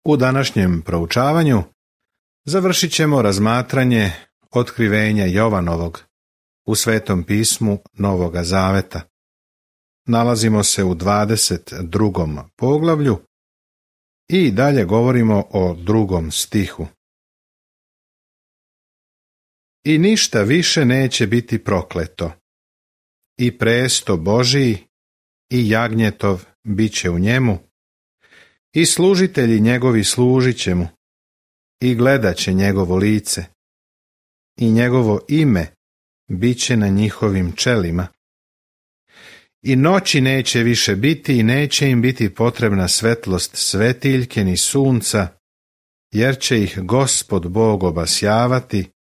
U današnjem proučavanju završit ćemo razmatranje otkrivenja Jovanovog u Svetom pismu Novoga Zaveta. Nalazimo se u 22. poglavlju i dalje govorimo o 2. stihu. I ništa više neće biti prokleto, i presto Božiji i jagnjetov bit će u njemu, i služitelji njegovi služit će mu, i gledat će njegovo lice, i njegovo ime bit će na njihovim čelima. I noći neće više biti i neće im biti potrebna svetlost svetiljke ni sunca, jer će ih Gospod Bog obasjavati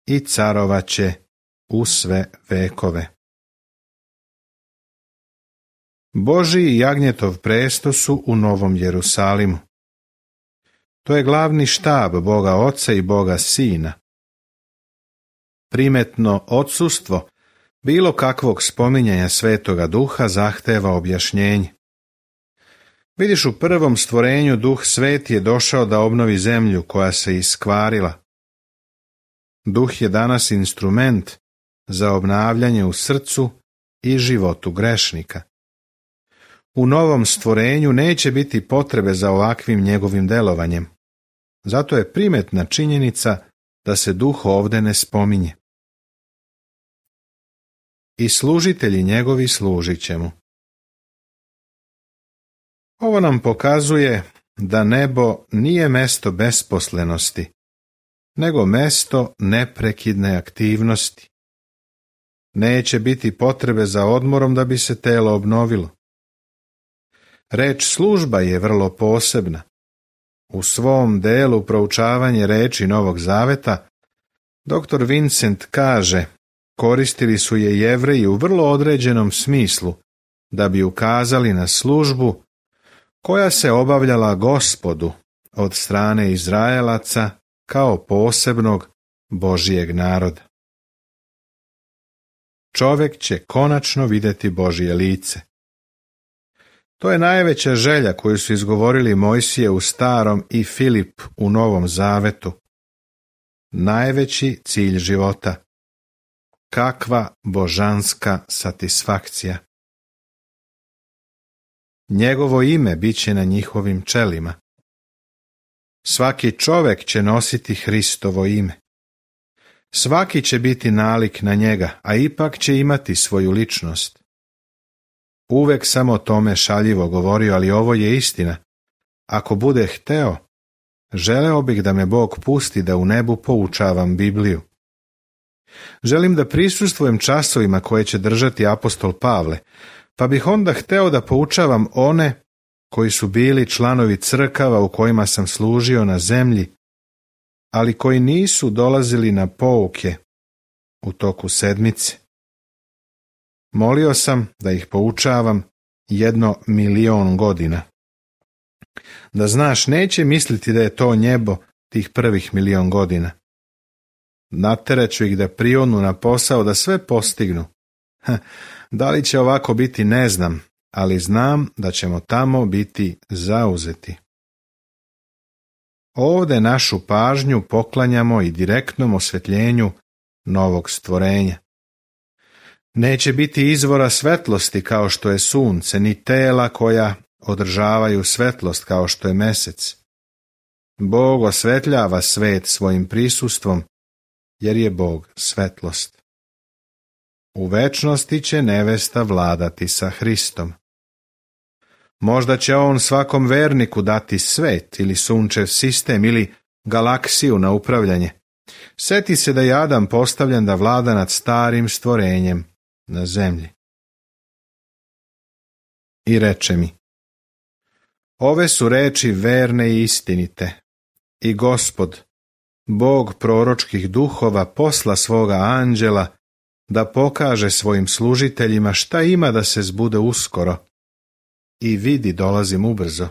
i carovat će u sve vekove. Božji i jagnjetov presto su u Novom Jerusalimu. To je glavni štab Boga Oca i Boga Sina. Primetno odsustvo bilo kakvog spominjanja Svetoga Duha zahteva objašnjenje. Vidiš, u prvom stvorenju Duh Sveti je došao da obnovi zemlju koja se iskvarila. Duh je danas instrument za obnavljanje u srcu i životu grešnika. U novom stvorenju neće biti potrebe za ovakvim njegovim delovanjem. Zato je primetna činjenica da se Duh ovdje ne spominje. I služitelji njegovi služit će mu. Ovo nam pokazuje da nebo nije mesto besposlenosti, nego mesto neprekidne aktivnosti. Neće biti potrebe za odmorom da bi se telo obnovilo. Reč služba je vrlo posebna. U svom delu proučavanje reči Novog Zaveta, dr. Vincent kaže, koristili su je Jevreji u vrlo određenom smislu, da bi ukazali na službu koja se obavljala Gospodu od strane Izraelaca kao posebnog Božijeg naroda. Čovjek će konačno vidjeti Božje lice. To je najveća želja koju su izgovorili Mojsije u Starom i Filip u Novom Zavetu. Najveći cilj života. Kakva božanska satisfakcija. Njegovo ime bit će na njihovim čelima. Svaki čovjek će nositi Hristovo ime. Svaki će biti nalik na njega, a ipak će imati svoju ličnost. Uvek sam o tome šaljivo govorio, ali ovo je istina. Ako bude hteo, želeo bih da me Bog pusti da u nebu poučavam Bibliju. Želim da prisustvujem časovima koje će držati apostol Pavle, pa bih onda hteo da poučavam one koji su bili članovi crkava u kojima sam služio na zemlji, ali koji nisu dolazili na pouke u toku sedmice. Molio sam da ih poučavam 1.000.000 godina. Da znaš, neće misliti da je to njebo tih prvih 1.000.000 godina. Nateraću ih da prionu na posao da sve postignu. Da li će ovako biti ne znam, ali znam da ćemo tamo biti zauzeti. Ovdje našu pažnju poklanjamo i direktnom osvetljenju novog stvorenja. Neće biti izvora svetlosti kao što je sunce, ni tela koja održavaju svetlost kao što je mesec. Bog osvetljava svet svojim prisustvom, jer je Bog svetlost. U večnosti će nevesta vladati sa Hristom. Možda će on svakom verniku dati svet ili sunčev sistem ili galaksiju na upravljanje. Seti se da je Adam postavljen da vlada nad starim stvorenjem na zemlji. I reče mi, ove su reči verne i istinite, i Gospod, Bog proročkih duhova, posla svoga anđela da pokaže svojim služiteljima šta ima da se zbude uskoro. I vidi, dolazim ubrzo.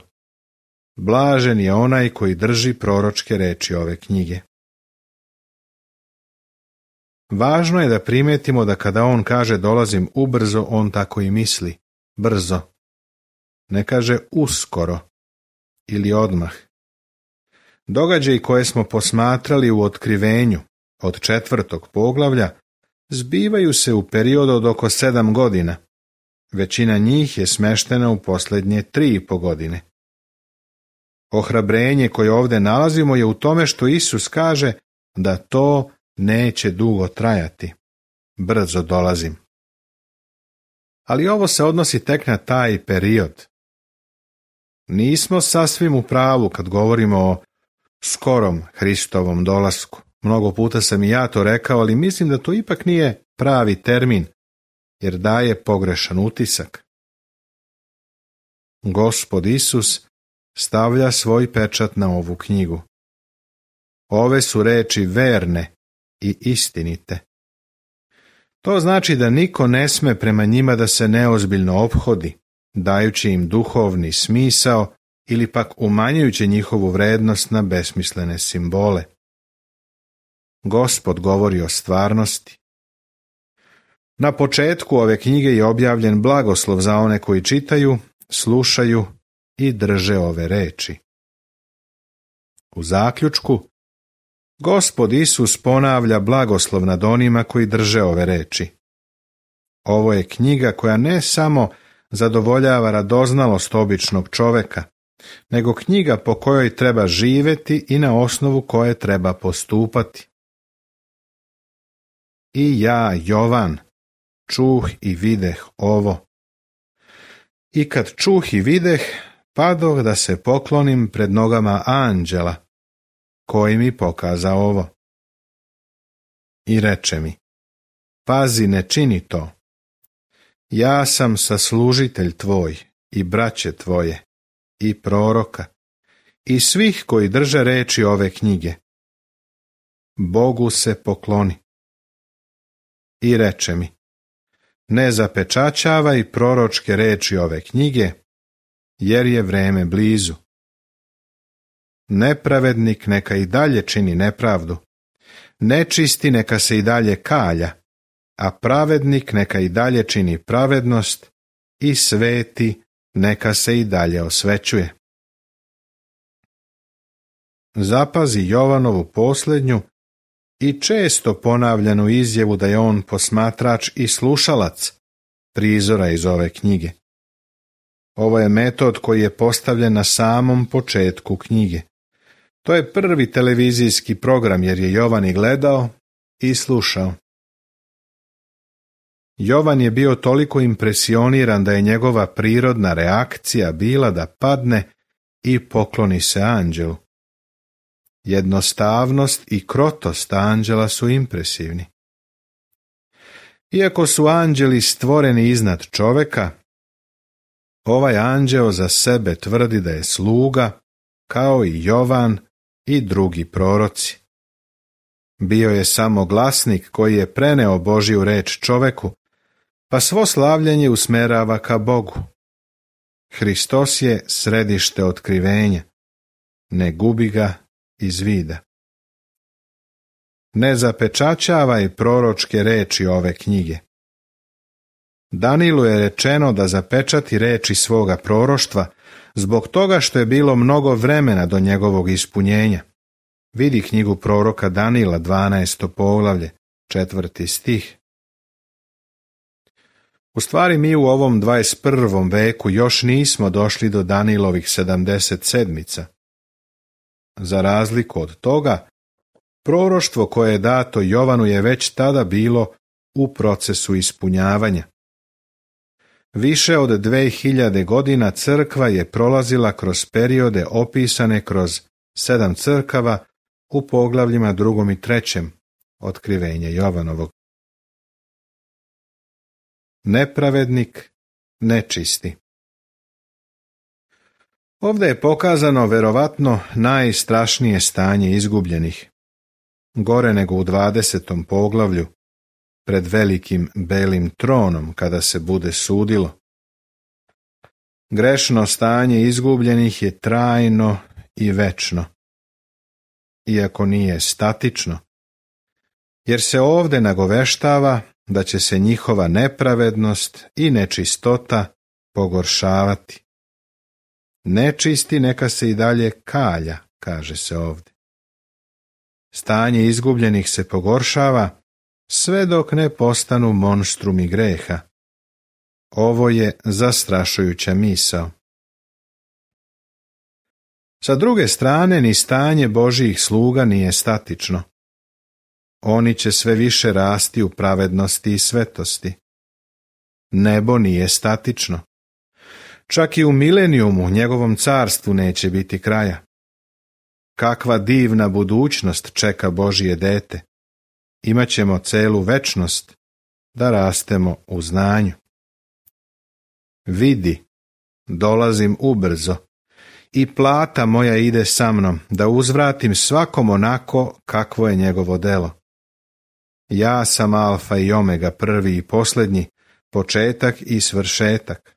Blažen je onaj koji drži proročke reči ove knjige. Važno je da primetimo da kada on kaže dolazim ubrzo, on tako i misli, brzo. Ne kaže uskoro ili odmah, Događaji koje smo posmatrali u Otkrivenju od 4. poglavlja zbivaju se u periodu od oko 7 godina. Većina njih je smeštena u posljednje 3,5 godine. Ohrabrenje koje ovdje nalazimo je u tome što Isus kaže da to neće dugo trajati. Brzo dolazim. Ali ovo se odnosi tek na taj period. Nismo sasvim u pravu kad govorimo o skorom Hristovom dolasku. Mnogo puta sam i ja to rekao, ali mislim da to ipak nije pravi termin, jer daje pogrešan utisak. Gospod Isus stavlja svoj pečat na ovu knjigu. Ove su reči verne i istinite. To znači da niko ne sme prema njima da se neozbiljno ophodi, dajući im duhovni smisao ili pak umanjujući njihovu vrednost na besmislene simbole. Gospod govori o stvarnosti. Na početku ove knjige je objavljen blagoslov za one koji čitaju, slušaju i drže ove reči. U zaključku, Gospod Isus ponavlja blagoslov nad onima koji drže ove reči. Ovo je knjiga koja ne samo zadovoljava radoznalost običnog čoveka, nego knjiga po kojoj treba živjeti i na osnovu koje treba postupati. I ja, Jovan, čuh i videh ovo. I kad čuh i videh, padoh da se poklonim pred nogama anđela, koji mi pokaza ovo. I reče mi, pazi, ne čini to. Ja sam saslužitelj tvoj i braće tvoje i proroka i svih koji drže reči ove knjige. Bogu se pokloni. I reče mi, ne zapečaćavaj proročke reči ove knjige, jer je vreme blizu. Nepravednik neka i dalje čini nepravdu, nečisti neka se i dalje kalja, a pravednik neka i dalje čini pravednost i sveti neka se i dalje osvećuje. Zapazi Jovanovu posljednju i često ponavljanu izjavu da je on posmatrač i slušalac prizora iz ove knjige. Ovo je metod koji je postavljen na samom početku knjige. To je prvi televizijski program jer je Jovan i gledao i slušao. Jovan je bio toliko impresioniran da je njegova prirodna reakcija bila da padne i pokloni se anđelu. Jednostavnost i krotost anđela su impresivni. Iako su anđeli stvoreni iznad čoveka, ovaj anđeo za sebe tvrdi da je sluga, kao i Jovan i drugi proroci. Bio je samo glasnik koji je preneo Božju reč čoveku, pa svo slavljenje usmerava ka Bogu. Hristos je središte otkrivenja, ne gubi ga iz vida. Ne zapečaćavaj proročke reči ove knjige. Danilu je rečeno da zapečati reči svoga proroštva zbog toga što je bilo mnogo vremena do njegovog ispunjenja. Vidi knjigu proroka Danila, 12. poglavlje, 4. stih. U stvari mi u ovom 21. veku još nismo došli do Danilovih 77. Za razliku od toga, proroštvo koje je dato Jovanu je već tada bilo u procesu ispunjavanja. Više od 2000 godina crkva je prolazila kroz periode opisane kroz 7 crkava u poglavljima 2. i 3. Otkrivenja Jovanovog. Nepravednik, nečisti. Ovdje je pokazano verovatno najstrašnije stanje izgubljenih. Gore nego u 20. poglavlju, pred velikim belim tronom kada se bude sudilo. Grešno stanje izgubljenih je trajno i večno, iako nije statično, jer se ovdje nagoveštava da će se njihova nepravednost i nečistota pogoršavati. Nečisti neka se i dalje kalja kaže se ovdje. Stanje izgubljenih se pogoršava sve dok ne postanu monstrumi greha. Ovo je zastrašujuća misao. Sa druge strane, ni stanje Božjih sluga nije statično. Oni će sve više rasti u pravednosti i svetosti. Nebo nije statično. Čak i u milenijumu, njegovom carstvu, neće biti kraja. Kakva divna budućnost čeka Božje dete. Imaćemo celu večnost da rastemo u znanju. Vidi, dolazim ubrzo, i plata moja ide sa mnom, da uzvratim svakom onako kakvo je njegovo delo. Ja sam alfa i omega, prvi i posljednji, početak i svršetak.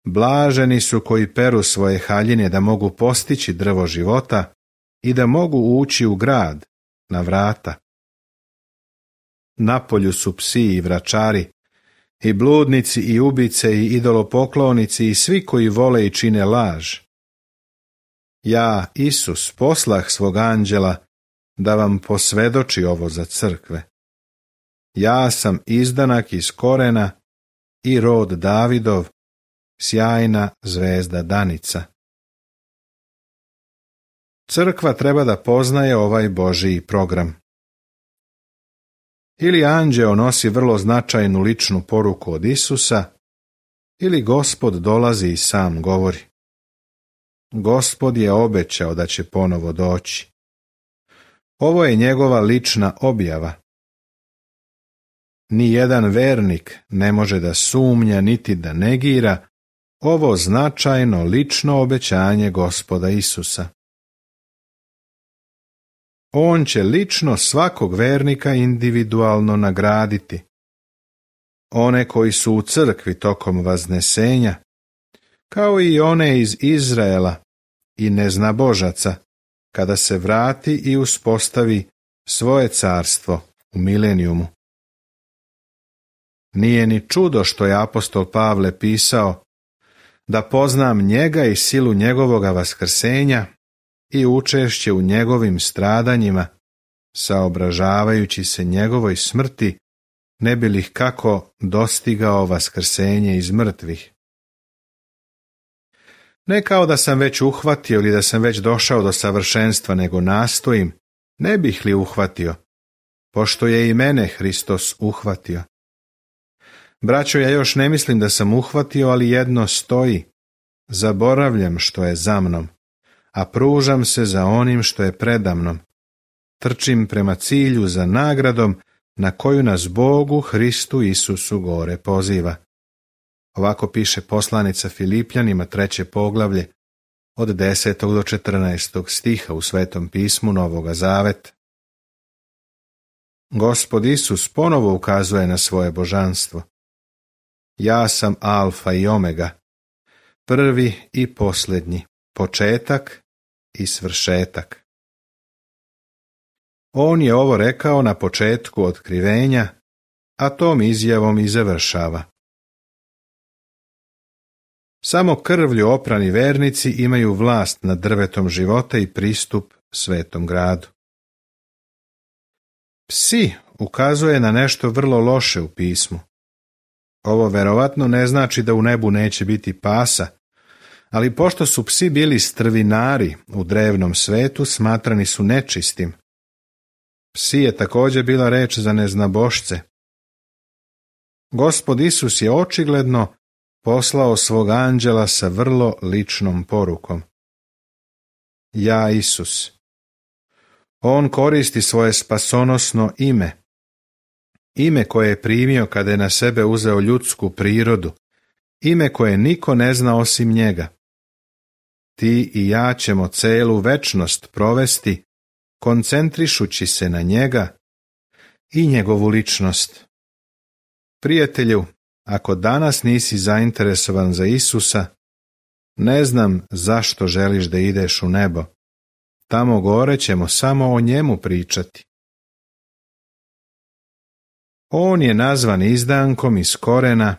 Blaženi su koji peru svoje haljine da mogu postići drvo života i da mogu ući u grad, na vrata. Napolju su psi i vračari, i bludnici i ubice i idolopoklonici i svi koji vole i čine laž. Ja, Isus, poslah svog anđela da vam posvjedoči ovo za crkve. Ja sam izdanak iz korena i rod Davidov, sjajna zvezda danica. Crkva treba da poznaje ovaj Božji program. Ili anđeo nosi vrlo značajnu ličnu poruku od Isusa, ili Gospod dolazi i sam govori. Gospod je obećao da će ponovo doći. Ovo je njegova lična objava. Nijedan vernik ne može da sumnja niti da negira ovo značajno lično obećanje Gospoda Isusa. On će lično svakog vernika individualno nagraditi. One koji su u crkvi tokom vaznesenja, kao i one iz Izraela i neznabožaca, kada se vrati i uspostavi svoje carstvo u milenijumu. Nije ni čudo što je apostol Pavle pisao da poznam njega i silu njegovoga vaskrsenja i učešće u njegovim stradanjima, saobražavajući se njegovoj smrti, ne bi li kako dostigao vaskrsenje iz mrtvih. Ne kao da sam već uhvatio ili da sam već došao do savršenstva, nego nastojim, ne bih li uhvatio, pošto je i mene Hristos uhvatio. Braćo, ja još ne mislim da sam uhvatio, ali jedno stoji, zaboravljam što je za mnom, a pružam se za onim što je predamnom. Trčim prema cilju za nagradom na koju nas Bogu Hristu Isusu gore poziva. Ovako piše poslanica Filipljanima 3. poglavlje od 10. do 14. stiha u Svetom pismu Novoga Zaveta. Gospod Isus ponovo ukazuje na svoje božanstvo. Ja sam alfa i omega, prvi i posljednji, početak i svršetak. On je ovo rekao na početku otkrivenja, a tom izjavom i završava. Samo krvlju oprani vernici imaju vlast nad drvetom života i pristup svetom gradu. Psi ukazuje na nešto vrlo loše u pismu. Ovo verovatno ne znači da u nebu neće biti pasa, ali pošto su psi bili strvinari u drevnom svetu, smatrani su nečistim. Psi je također bila reč za neznabošce. Gospod Isus je očigledno poslao svog anđela sa vrlo ličnom porukom. Ja, Isus. On koristi svoje spasonosno ime koje je primio kada je na sebe uzeo ljudsku prirodu, ime koje niko ne zna osim njega. Ti i ja ćemo celu večnost provesti, koncentrišući se na njega i njegovu ličnost. Prijatelju, ako danas nisi zainteresovan za Isusa, ne znam zašto želiš da ideš u nebo. Tamo gore ćemo samo o njemu pričati. On je nazvan izdankom iz korena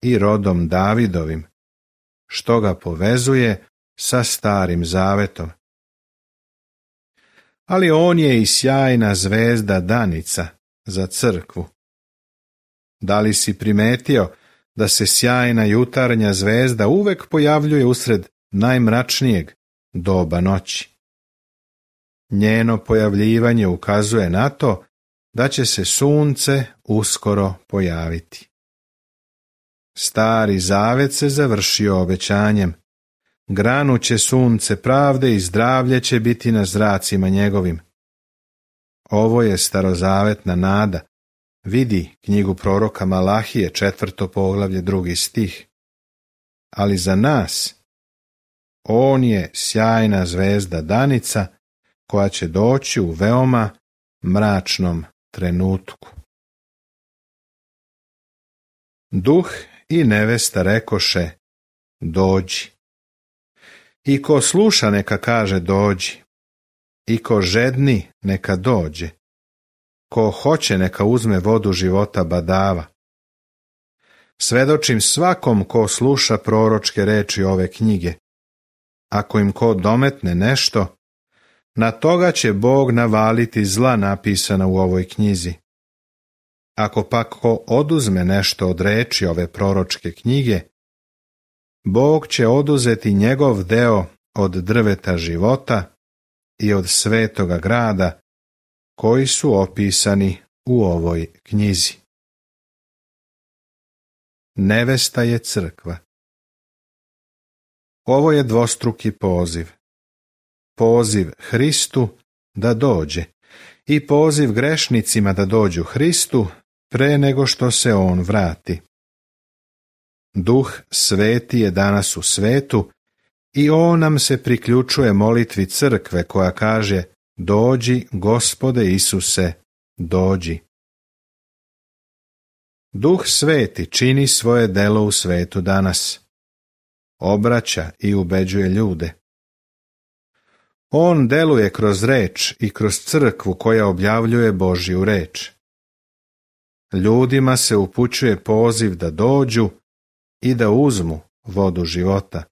i rodom Davidovim, što ga povezuje sa Starim Zavetom. ali on je i sjajna zvezda danica za crkvu. Da li si primetio da se sjajna jutarnja zvezda uvek pojavljuje usred najmračnijeg doba noći? Njeno pojavljivanje ukazuje na to da će se sunce uskoro pojaviti. Stari Zavet se završio obećanjem: granuće sunce pravde i zdravlje će biti na zracima njegovim. Ovo je starozavetna nada. Vidi knjigu proroka Malahije, 4. poglavlje, 2. stih. Ali za nas on je sjajna zvezda danica koja će doći u veoma mračnom trenutku. Duh i nevesta rekoše: dođi. I ko sluša neka kaže dođi, i ko žedni neka dođe, ko hoće neka uzme vodu života badava. Svedočim svakom ko sluša proročke reči ove knjige. Ako im ko dometne nešto, na toga će Bog navaliti zla napisana u ovoj knjizi. Ako pak ko oduzme nešto od reči ove proročke knjige, Bog će oduzeti njegov deo od drveta života i od svetoga grada koji su opisani u ovoj knjizi. Nevesta je crkva. Ovo je dvostruki poziv. Poziv Hristu da dođe i poziv grešnicima da dođu Hristu pre nego što se on vrati. Duh Sveti je danas u svetu i on nam se priključuje molitvi crkve koja kaže: dođi, Gospode Isuse, dođi. Duh Sveti čini svoje delo u svetu danas. Obraća i ubeđuje ljude. On deluje kroz reč i kroz crkvu koja objavljuje Božju reč. Ljudima se upućuje poziv da dođu i da uzmu vodu života.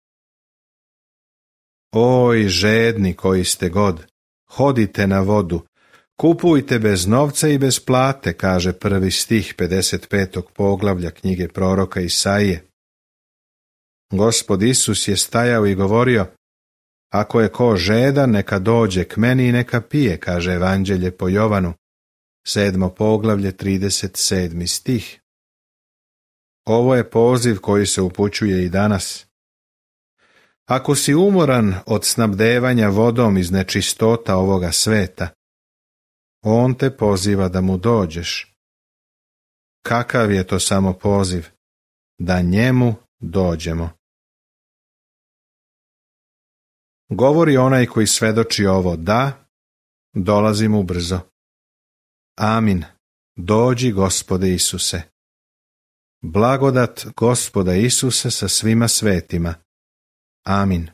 Oj, žedni koji ste god, hodite na vodu, kupujte bez novca i bez plate, kaže 1. stih 55. poglavlja knjige proroka Isaije. Gospod Isus je stajao i govorio: ako je ko žedan, neka dođe k meni i neka pije, kaže Evanđelje po Jovanu, 7. poglavlje, 37. stih. Ovo je poziv koji se upućuje i danas. Ako si umoran od snabdevanja vodom iz nečistota ovoga sveta, on te poziva da mu dođeš. Kakav je to samo poziv? Da njemu dođemo. Govori onaj koji svedoči ovo: da, dolazim ubrzo. Amin. Dođi, Gospode Isuse. Blagodat Gospoda Isuse sa svima svetima. Amin.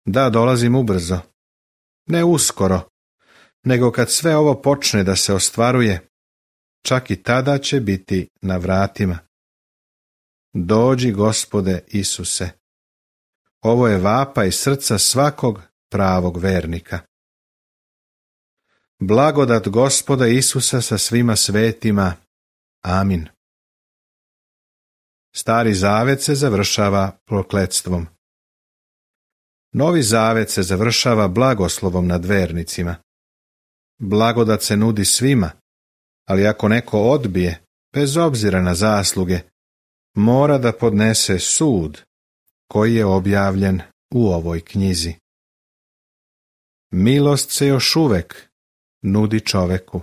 Da, dolazim ubrzo. Ne uskoro, nego kad sve ovo počne da se ostvaruje, čak i tada će biti na vratima. Dođi, Gospode Isuse. Ovo je vapaj srca svakog pravog vernika. Blagodat Gospoda Isusa sa svima svetima. Amin. Stari Zavet se završava prokletstvom. Novi Zavet se završava blagoslovom nad vernicima. Blagodat se nudi svima, ali ako neko odbije, bez obzira na zasluge, mora da podnese sud koji je objavljen u ovoj knjizi. Milost se još uvek nudi čoveku.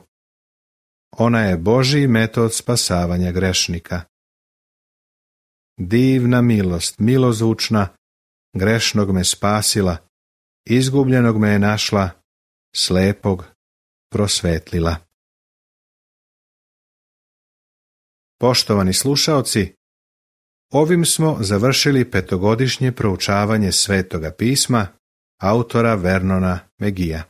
Ona je Božji metod spasavanja grešnika. Divna milost, milozvučna, grešnog me spasila, izgubljenog me je našla, slepog prosvetlila. Poštovani slušaoci, ovim smo završili 5-godišnje proučavanje Svetoga pisma autora Vernona Megija.